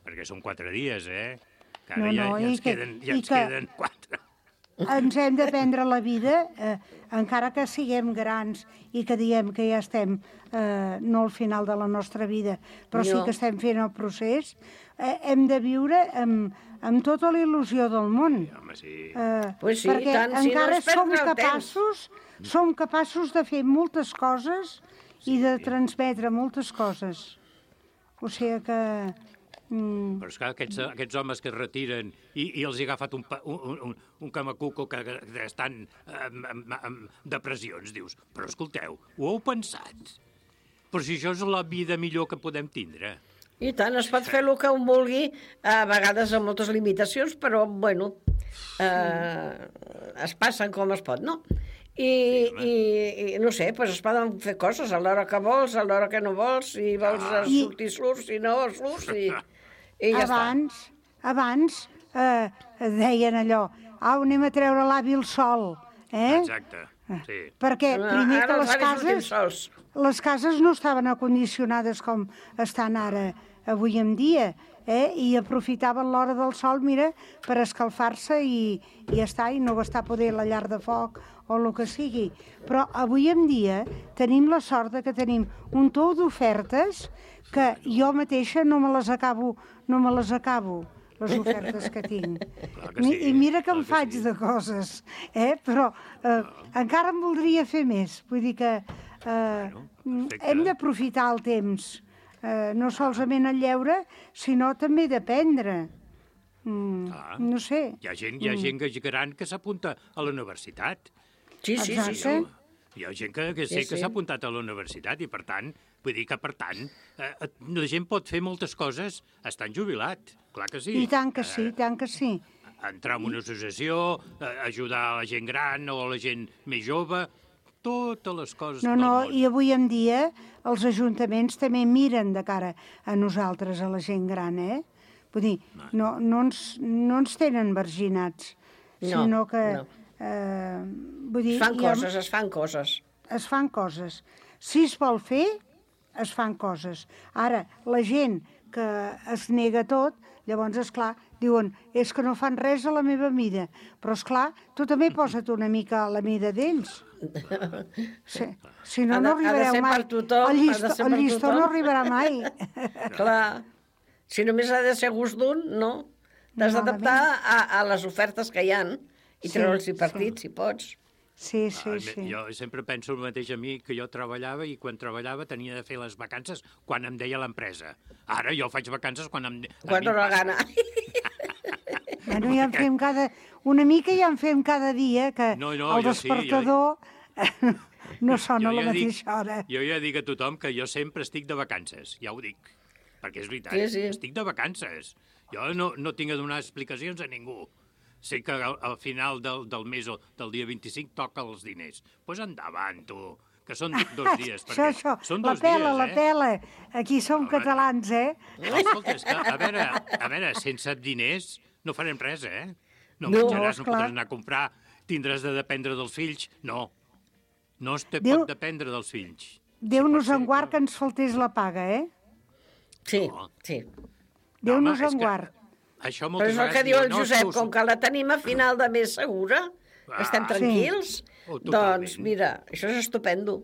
perquè són quatre dies, eh? Que ara No, ja, no, ja i ens que- queden, ja i ens que- queden quatre. Ens hem de prendre la vida, eh, encara que siguem grans i que diem que ja estem, eh, no al final de la nostra vida, però sí No. que estem fent el procés, eh, hem de viure amb, amb tota la il·lusió del món. Home, sí. Eh, Pues sí, perquè tant, si no encara és perdre som el capaços, som capaços de fer moltes coses i de transmetre moltes coses. O sigui que... Mm, Però esclar, aquests, aquests homes que es retiren i, i els hi ha agafat un, pa- un, un, un camacuco que, que estan amb, amb, amb depressions, dius, però escolteu, ho heu pensat? Però si això és la vida millor que podem tindre. I tant, es pot fer el que un vulgui, a vegades amb moltes limitacions, però, bueno, eh, es passen com es pot, no? I, i, i no sé, doncs es poden fer coses a l'hora que vols, a l'hora que no vols, si vols ah. sortir, surts, si no, surts, i, i ja abans, abans eh, deien allò, au, anem a treure l'avi al sol, eh? Exacte, sí. Perquè primer Ara que els les avis sortim cases, sols. les cases no estaven acondicionades com estan ara, avui en dia, eh? I aprofitaven l'hora del sol, mira, per escalfar-se i, i ja està, i no gastar poder la llar de foc o el que sigui. Però avui en dia tenim la sort de que tenim un tou d'ofertes que jo mateixa no me les acabo, no me les acabo, les ofertes que tinc. que sí, I mira que em clar que faig sí. de coses, eh? Però eh, encara en voldria fer més. Vull dir que eh, perfecte. hem d'aprofitar el temps, eh, no solament el lleure, sinó també d'aprendre. Mm, Ah. no sé. Hi ha gent, hi ha gent que gran que s'apunta a la universitat. Sí, sí, sí, Exacte. sí. Hi ha gent que, que sé Sí, que sí. s'ha apuntat a la universitat i, per tant, vull dir que, per tant, eh, la gent pot fer moltes coses estant jubilat, clar que sí. I tant que sí, i tant que sí. Entrar en una associació, eh, ajudar a la gent gran o a la gent més jove, totes les coses No, del no, món. i avui en dia els ajuntaments també miren de cara a nosaltres, a la gent gran, eh? Vull dir, no, no, ens, no ens tenen marginats, No, sinó que... no. Eh, vull dir, Es fan hi ha- coses, es fan coses. es fan coses. Si es vol fer, es fan coses. Ara, la gent que es nega tot, llavors, és clar, diuen, és que no fan res a la meva mida. Però, és clar, tu també posa't una mica a la mida d'ells. Si, si no, Ha de- no ha de arribareu ser mai. per tothom, el ha de llistó, ser el per llistó tothom. no arribarà mai. Clar. Si només ha de ser gust d'un, no. T'has d'adaptar a, a les ofertes que hi han i Sí, treure'ls sí. partit, si pots. Sí, sí, Ah, sí. Jo sempre penso el mateix a mi, que jo treballava i quan treballava tenia de fer les vacances quan em deia l'empresa. Ara jo faig vacances quan em... a Quan mi em dóna passa. gana. Bueno, ja en fem cada... Una mica ja en fem cada dia, que No, no, el jo sí, jo- despertador no sona a la ja dic- mateixa hora. Jo ja dic a tothom que jo sempre estic de vacances, ja ho dic. Perquè és veritat, Sí, sí. estic de vacances. Jo no, no tinc a donar explicacions a ningú. Sé que al, al final del, del mes o del dia vint-i-cinc toca els diners. Doncs pues endavant, tu, que són dos dies. Això, això, són la dos pela, dies, la eh? pela. Aquí som Home. catalans, eh? No, escolta, és que, a veure, a veure, sense diners no farem res, eh? No, No, menjaràs, no esclar. podràs anar a comprar, tindràs de dependre dels fills. No, no es te Déu- pot dependre dels fills. Déu pot nos ser, en guard que ens faltés la paga, eh? Sí, No. sí. Déu home, nos és en que guard. Això Però moltes és el vegades que diu el diuen, no, Josep, és com que la tenim a final de mes segura, Ah, estem sí. tranquils, Oh, totalment. doncs mira, això és estupendo.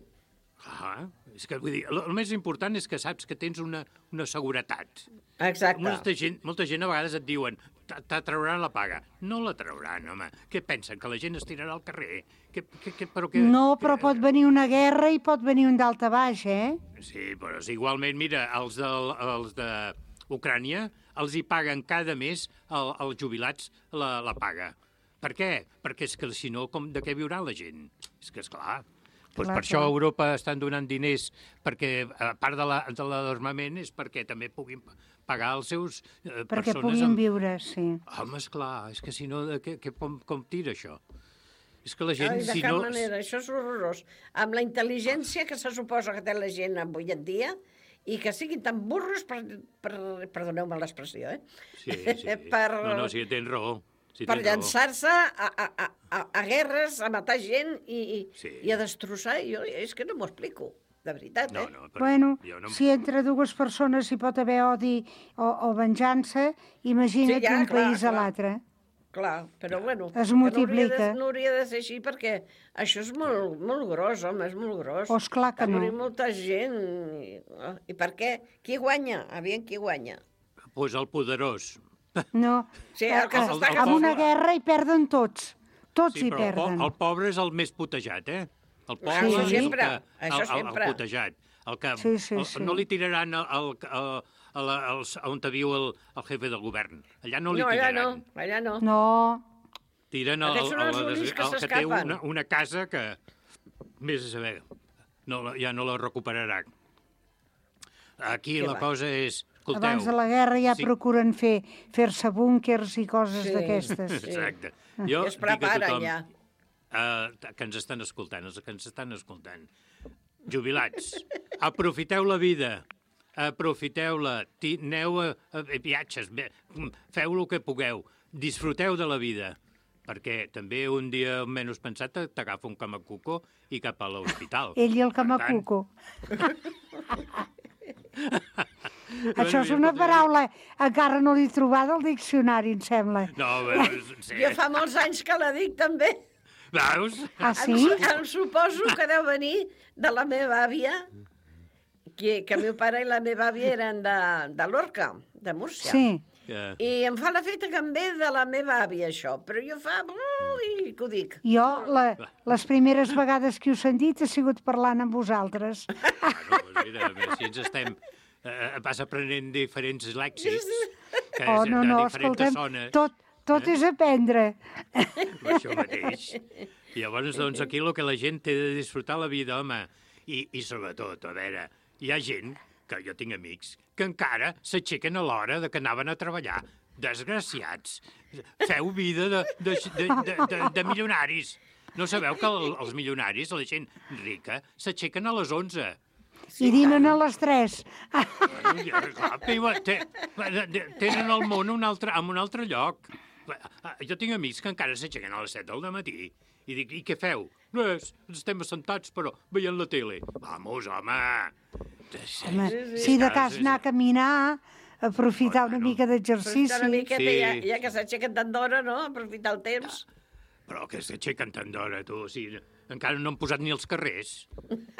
Ah, és que, vull dir, el, el més important és que saps que tens una, una seguretat. Exacte. Molta gent, molta gent a vegades et diuen "Te- te trauran la paga". No la trauran, home. Què pensen, que la gent es tirarà al carrer? Que, que, que, però que, No, que- però pot venir una guerra i pot venir un d'alta baix, eh? Sí, però és igualment, mira, els de, els de Ucrània els hi paguen cada mes el, els jubilats la, la paga. Per què? Perquè és que si no, com, de què viurà la gent? És que, esclar, doncs Clar, per això clar. a Europa estan donant diners, perquè a part de la- de l'armament és perquè també puguin pagar els seus eh, Perquè persones... puguin amb... viure, sí. Home, esclar, és que si no, de què, què, com, com tira això? És que la gent, Ai, de si cap no... manera, això és horrorós. Amb la intel·ligència que se suposa que té la gent avui en dia i que siguin tan burros, per, per, perdoneu-me l'expressió, eh? Sí, sí. per, No, no, sí, tens raó. Sí, per tens raó. llançar-se a, a, a, a, a guerres, a matar gent i, i, Sí. i a destrossar. Jo, és que no m'ho explico, de veritat, eh? No, no, Bueno, jo no... si entre dues persones hi pot haver odi o, o venjança, imagina't Sí, ja, un clar, país a clar. l'altre. Clar, però bueno, Es que no hauria, multiplica. de, no hauria de ser així perquè això és molt, molt gros, home, és molt gros. Oh, esclar que Va morir no. molta gent. I, I per què? Qui guanya? Aviam qui guanya. Pues el poderós. No, Sí, el que eh, s'està amb una poble. guerra hi perden tots. Tots Sí, hi però el, po perden. el pobre és el més putejat, eh? El pobre Ah, això és el sempre, que- això el, el, sempre. el putejat. El que, Sí, sí, el, sí. No li tiraran el, el, el, el, el, on viu el, el jefe del govern. Allà no li No, allà tiraran. no, allà no. No, Tiren el, Aquests són el, els el, únics el, que el que té s'escapen. una, una casa que, més a saber, no, la- ja no la recuperarà. Aquí Què la va? cosa és... Escolteu, abans de la guerra ja sí. procuren fer fer-se búnquers i coses Sí. d'aquestes. Sí. Exacte. I Jo es dic a preparen tothom ja. uh, que ens estan escoltant, els que ens estan escoltant, jubilats, aprofiteu la vida, aprofiteu-la, ti- aneu a, a, a viatges, ve- feu el que pugueu, disfruteu de la vida, perquè també un dia menys pensat t'agafa un camacuco i cap a l'hospital. Ell i el Per tant, camacuco. Això és una paraula, encara no l'he trobada al diccionari, em sembla. No, però, sí. Jo fa molts anys que la dic, també. Veus? Ah, sí? Em, em suposo que deu venir de la meva àvia, que, que el meu pare i la meva àvia eren de, de Lorca, de Múrcia. Sí. Que... I em fa l'efecte que em ve de la meva àvia, això. Però jo fa... Ui, que ho dic. Jo, la, les primeres vegades que ho he sentit, he sigut parlant amb vosaltres. Bueno, doncs mira, a veure si ens estem... Eh, vas aprenent diferents lèxics, que Oh, és no, de no, diferents escolta'm, zones. tot, tot és aprendre. Això mateix. I llavors, doncs, aquí el que la gent té de disfrutar la vida, home, i, i sobretot, a veure, hi ha gent, que jo tinc amics, que encara s'aixequen a l'hora de que anaven a treballar. Desgraciats. Feu vida de, de, de, de, de, de milionaris. No sabeu que el, els milionaris, la gent rica, s'aixequen a les onze. I dinen a les tres. Ja, clar, viuen- te- Tenen el món un altre, en un altre lloc. Jo tinc amics que encara s'aixequen a les set del matí i dic, i què feu? Res, estem assentats, però veient la tele. Vamos, home! Home, si de cas anar a caminar, aprofitar una mica d'exercici. Aprofitar una miqueta, Sí. ja, ja que s'aixequen tant d'hora, no? Aprofitar el temps. Però que s'aixequen tant d'hora, tu. O sigui, encara no han posat ni els carrers.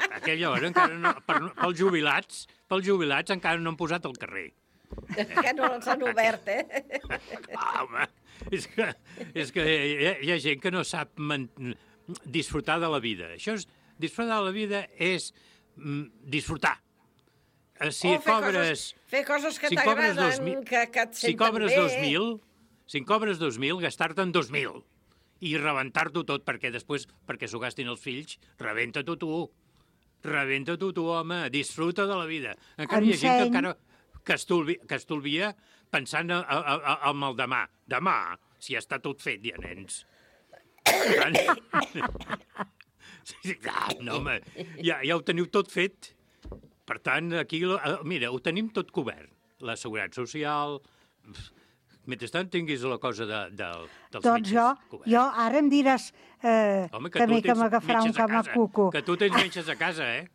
A aquella hora encara no... Per, pels jubilats, pels jubilats encara no han posat el carrer. Que no s'han obert, eh? Ah, home, és que, és que hi, ha, hi ha gent que no sap man, disfrutar de la vida. Això és, disfrutar de la vida és mm, disfrutar. Eh, Si O fer cobres... coses, fer coses que si cobres dos t'agraden, mil- que, que et Si senten cobres bé. dos mil, si en cobres dos mil, gastar-te'n dos mil i rebentar-t'ho tot, perquè després, perquè s'ho gastin els fills, rebenta-t'ho tu. Rebenta-t'ho tu, home. Disfruta de la vida. Encara hi ha gent que Enseny. encara que estolvi, que estolvia pensant a, a, a, en el demà. Demà, si ja està tot fet, ja, nens. Per tant, sí, clar, no, home, ja, ja ho teniu tot fet. Per tant, aquí, eh, mira, ho tenim tot cobert. La seguretat social... Mentrestant tinguis la cosa de, de, dels Doncs metges jo, cobert. jo ara em diràs eh, Home, que també tu que tens m'agafarà un metges a casa, camacuco. Que tu tens metges a casa, eh?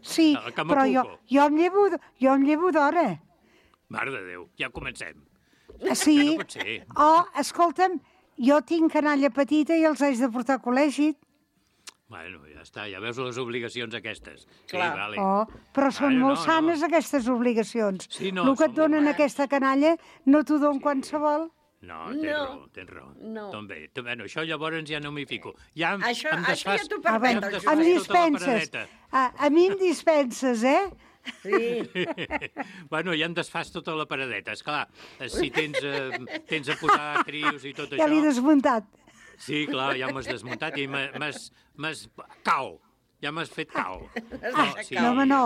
Sí, El però jo, camacuco. jo em llevo, jo em llevo d'hora. Mare de Déu, ja comencem. Sí. Que no pot ser. Oh, escolta'm, jo tinc canalla petita i els haig de portar a col·legi. Bueno, ja està, ja veus les obligacions aquestes. Sí, Clar. vale. Oh, però són Vale, molt no, sanes, no. aquestes obligacions. Sí, no, El que són et donen molt aquesta canalla no t'ho don qualsevol. No, tens No. raó, tens raó. No. També, tu- bueno, això llavors ja no m'hi fico. Ja em, Això- em això ja desfas, t'ho Ah, permet, bueno, el desfas em Josep. tota la dispenses. paradeta. A, a mi em dispenses, eh? Sí. Bueno, ja en desfàs tota la paradeta. Esclar, si tens, eh, tens a posar crios i tot Ja això... l'he desmuntat. Sí, clar, ja m'has desmuntat i m'has... m'has- Cau. Ja m'has fet cau. Ah, no, home, no.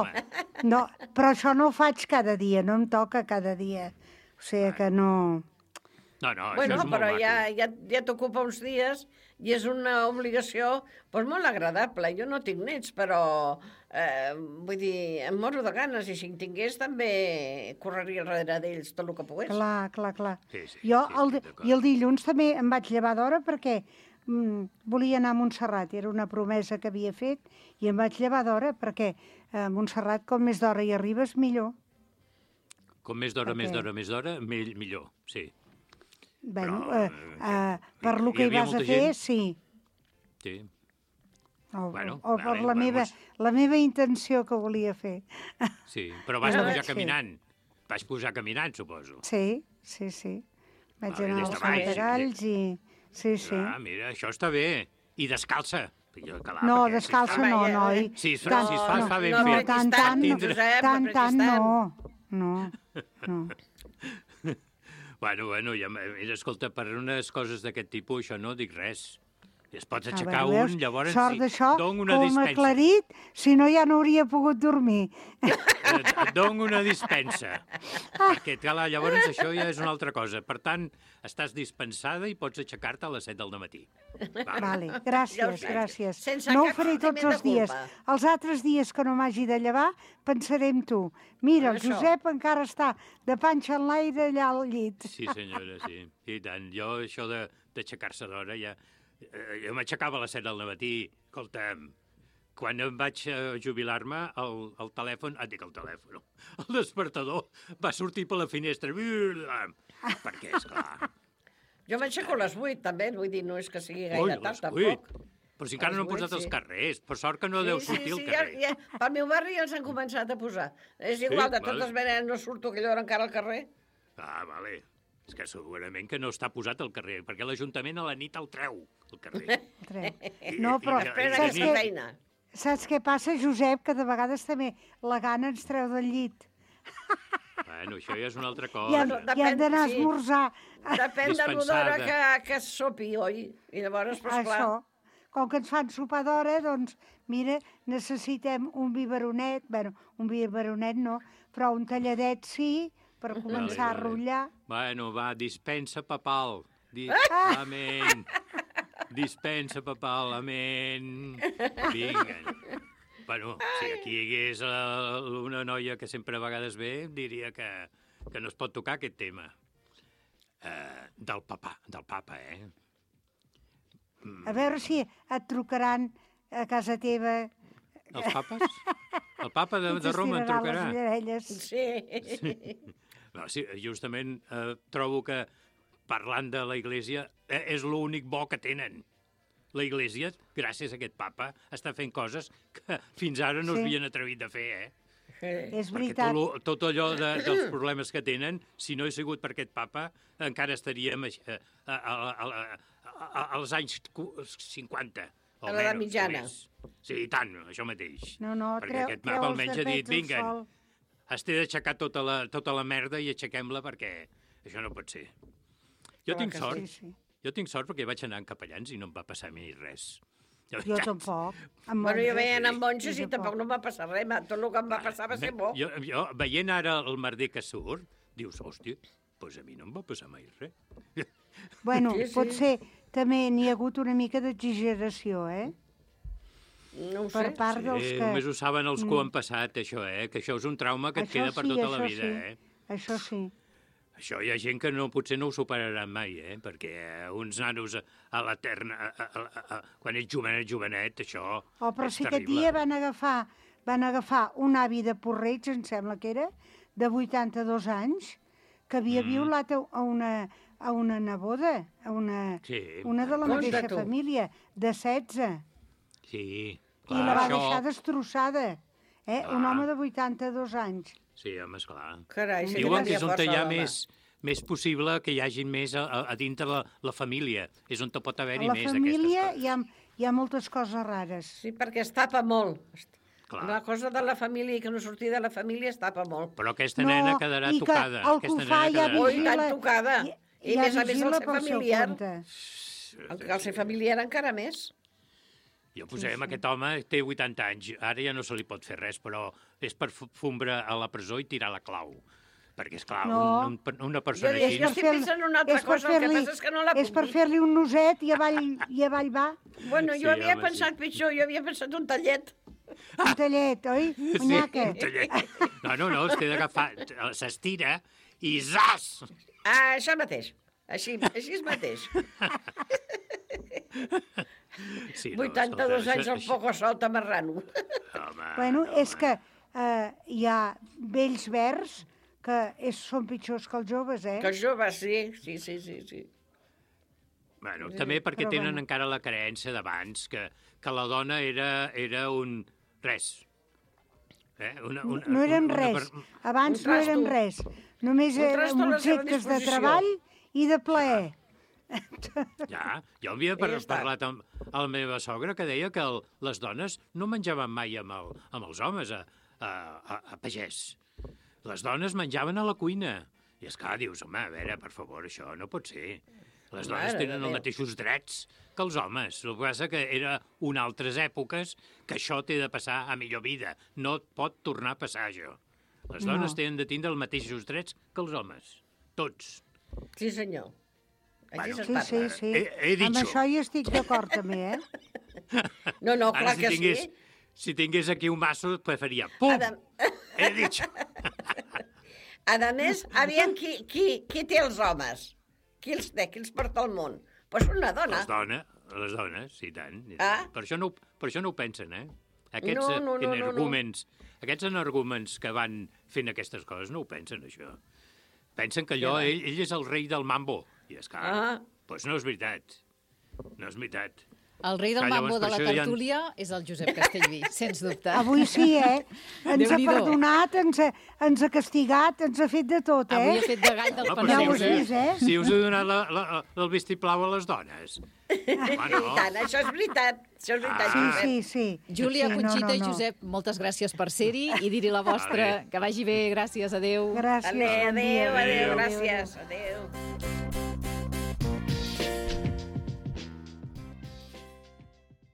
no. Però això no ho faig cada dia, no em toca cada dia. O sigui que no... No, no, Bueno, això és molt però maco. ja, ja, ja t'ocupa uns dies i és una obligació pues, molt agradable. Jo no tinc nets, però eh, vull dir, em moro de ganes i si en tingués també correria darrere d'ells tot el que pogués. Clar, clar, clar. Sí, sí, jo, sí, el, estic di- d'acord. I el dilluns també em vaig llevar d'hora perquè mm, volia anar a Montserrat. Era una promesa que havia fet i em vaig llevar d'hora perquè a Montserrat, com més d'hora hi arribes, millor. Com més d'hora, Per més què? d'hora, més d'hora, mill- millor, sí. Bueno, Però, eh, eh, per lo hi que hi havia vas a molta fer, gent? sí. Sí. O, Bueno, o per vale, la, bueno, meva, és- la meva intenció que volia fer. Sí, però vas Ah, pujar sí. caminant. Vas pujar caminant, suposo. Sí, sí, sí. Vaig Vale, anar des als de baix, Fontagalls i... Sí, sí. Ah, mira, això està bé. I descalça. Jo, clar, No, perquè descalça si es fa- no, noi. Si es, Tant- si es fa, es fa ben no, fet. tant, tant, no, Tindre- tant, tant, no. No, no. Bueno, bueno, ja, m- mira, escolta, per unes coses d'aquest tipus, això no dic res. I es pots A aixecar veure, un, veus? llavors Sort sí, d'això, dono una com dispensa. aclarit, si no ja no hauria pogut dormir. Et, et dono una dispensa. Perquè, clar, llavors això ja és una altra cosa. Per tant, estàs dispensada i pots aixecar-te a les set del matí. Vale, Ja ho gràcies, sé. gràcies. Sense No ho cap faré tots sentiment els de dies. culpa. Els altres dies que no m'hagi de llevar, pensaré en tu. Mira, el Això. Josep encara està de panxa en l'aire allà al llit. Sí, senyora, sí. I tant. Jo, això de- d'aixecar-se d'hora, ja... eh, Jo m'aixecava a les set del matí. Escolta'm, quan em vaig eh, jubilar-me, el, el telèfon... Ah, dic el telèfon. El despertador va sortir per la finestra. Perquè, esclar... Jo m'aixeco a les vuit, també, vull dir, no és que sigui Ui, gaire a tard, les vuit. tampoc. Però si encara A no les han posat vuit, els sí. carrers. Per sort que no deu sortir al ja, carrer. ja, pel meu barri ja els han començat a posar. És Sí, igual, de vale. totes maneres no surto aquella hora encara al carrer. Ah, vale. És que segurament que no està posat al carrer, perquè l'Ajuntament a la nit el treu, al carrer. I- No, però i- i- Després i- saps i- d'aquesta què, feina. saps què passa, Josep? Que de vegades també la gana ens treu del llit. Bueno, això ja és una altra I cosa. hem, i hem d'anar a sí. esmorzar. Depèn de l'hora que, que es sopi, oi? I llavors, pues, clar... Això. Com que ens fan sopar d'hora, doncs, mira, necessitem un biberonet, bueno, un biberonet no, però un talladet sí, per començar a rotllar. Bueno, va, dispensa papal. Di... Ah! Amén. Dispensa papal, amén. Vinga. Bueno, si aquí hi hagués uh, una noia que sempre a vegades ve, diria que, que no es pot tocar aquest tema. Uh, del papa, del papa, eh? A veure si et trucaran a casa teva. Els papes? El papa de, i de Roma em t'estiraran trucarà. les orelles. Sí. Sí. No, sí, justament eh, trobo que parlant de la Iglésia eh, és l'únic bo que tenen. La Iglésia, gràcies a aquest papa, està fent coses que fins ara no Sí. s'havien atrevit a fer, eh? És Perquè veritat. tot, lo- tot allò de, dels problemes que tenen, si no he sigut per aquest papa, encara estaríem a, a, a, a, a, als anys cu- cinquanta. A l'edat mitjana. Sí, i tant, això mateix. No, no, Perquè treu, aquest treu papa els almenys ha dit, tapets al vinga, sol. has d'aixecar tota la, tota la merda i aixequem-la perquè això no pot ser. Jo Clar tinc que sort, sí, sí. jo tinc sort perquè vaig anar amb capellans i no em va passar a mi res. De Jo veritat. tampoc. Amb Bueno, jo monges. veia anar amb monges Jo i tampoc no em va passar res. ma- Tot el que em va passar va ser bo. Jo, jo, veient ara el merder que surt, dius, hòstia, doncs a mi no em va passar mai res. Bueno, Sí, sí. potser també n'hi ha hagut una mica d'exageració, eh? No ho Per sé. part dels Eh, que... només ho saben els que ho han passat, això, eh? Que això és un trauma que et Això queda per sí, tota la això vida, sí. eh? Això sí. Això hi ha gent que no, potser no ho superaran mai, eh? Perquè eh, uns nanos a, a l'eterna... a- a- a- a- Quan ets jovenet, jovenet, això Oh, però és sí que aquest terrible. dia van agafar, van agafar un avi de Porreig, em sembla que era, de vuitanta-dos anys, que havia Mm. violat a a una, a una neboda, a una, Sí. una de la Compte mateixa tu. família, de setze, Sí, i clar, la va això... deixar destrossada. Eh? Un Clar. home de vuitanta-dos anys. Sí, home, esclar. Carai, sí que Diuen que tenia és on força, hi ha l'home. més, més possible que hi hagi més a, a, a dintre la, la família. És on te pot A haver-hi la més família d'aquestes hi ha, hi ha moltes coses rares. Sí, perquè es tapa molt. Clar. La cosa de la família i que no sortir de la família es tapa molt. Però aquesta nena No, quedarà i que tocada. el Aquesta que ho fa nena ja quedarà... Ui, vigila- tan tocada. i- I, ja més a més el vigila ser pel seu familiar. compte. El, el ser familiar encara més. Jo posem, aquest home té vuitanta anys, ara ja no se li pot fer res, però és per fu- fumbre a la presó i tirar la clau. Perquè, esclar, No. un, un, una persona Jo, així... jo estic pensant en una altra és per cosa, el que fer-li- passa és que no la És puc per dir. fer-li un noset i avall, i avall va. Bueno, jo Sí, havia home, pensat pitjor, jo havia pensat un tallet. Un tallet, oi? Sí, Munyaca. un tallet. No, no, no, es té d'agafar, s'estira i zas! Ah, això mateix. Així, així és mateix. Sí, vuitanta-dos escolta, anys això- al poco solta marrano. Home, Bueno, no, és que eh, hi ha vells verds que és, són pitjors que els joves, eh? Que els joves, sí, sí, sí, sí. sí. Bueno, també perquè Però tenen bueno. encara la creença d'abans, que, que la dona era, era un res. Eh? Una, una, No eren una, res. per- Abans Un no eren trasto. res. Només Un eren trasto a la seva objectes de disposició. treball i de plaer. Ja, jo havia I par ja està. parlat amb, amb la meva sogra que deia que el, les dones no menjaven mai amb, el, amb els homes a, a, a, a pagès. Les dones menjaven a la cuina. I esclar, dius, home, a veure, per favor, això no pot ser. Les dones Mare de tenen els Déu. mateixos drets que els homes. El que passa que era una altres èpoques que això té de passar a millor vida. No et pot tornar a passar, això. Les dones No. tenen de tindre els mateixos drets que els homes. Tots. Sí, senyor. Així Bueno, es Sí, parla. sí, sí. He- he Amb dicho. això hi estic d'acord també, eh? No, no, Ara, clar si que tingués, sí. si tingués aquí un masso, preferia... Pum! Adam- He dit... A més, aviam qui, qui, qui té els homes. Qui els té, qui els porta al món. Pues una dona. Les dones, les dones, sí, tant. i tant. Ah. Per, això no, ho- per això no ho pensen, eh? Aquests No, no, no, no, no. energúmens, aquests energúmens que van fent aquestes coses no ho pensen, això. Pensen que allò, va. ell, ell és el rei del mambo. I és clar, Ah. doncs no és veritat. No és veritat. El rei del Clar, llavors, mambo de per la això hi ha- tertúlia és el Josep Castellví, sens dubte. Avui sí, eh? Ens ha Déu-n'hi-do. perdonat, ens ha, ens ha castigat, ens ha fet de tot, eh? Avui he fet de gall dels Home, però Ja ho panseus, has eh? vist, eh? Si us he donat la, la, el vistiplau a les dones. Home, no. I tant, això és veritat. Això és veritat. Ah. Josep. Sí, sí. Júlia, sí, Conxita i no, no, no. Josep, moltes gràcies per ser-hi i dir-hi la vostra. Vale. Que vagi bé, gràcies, adeu. Gràcies, Adéu, bon dia. adéu, adéu, Adéu. gràcies. Adéu.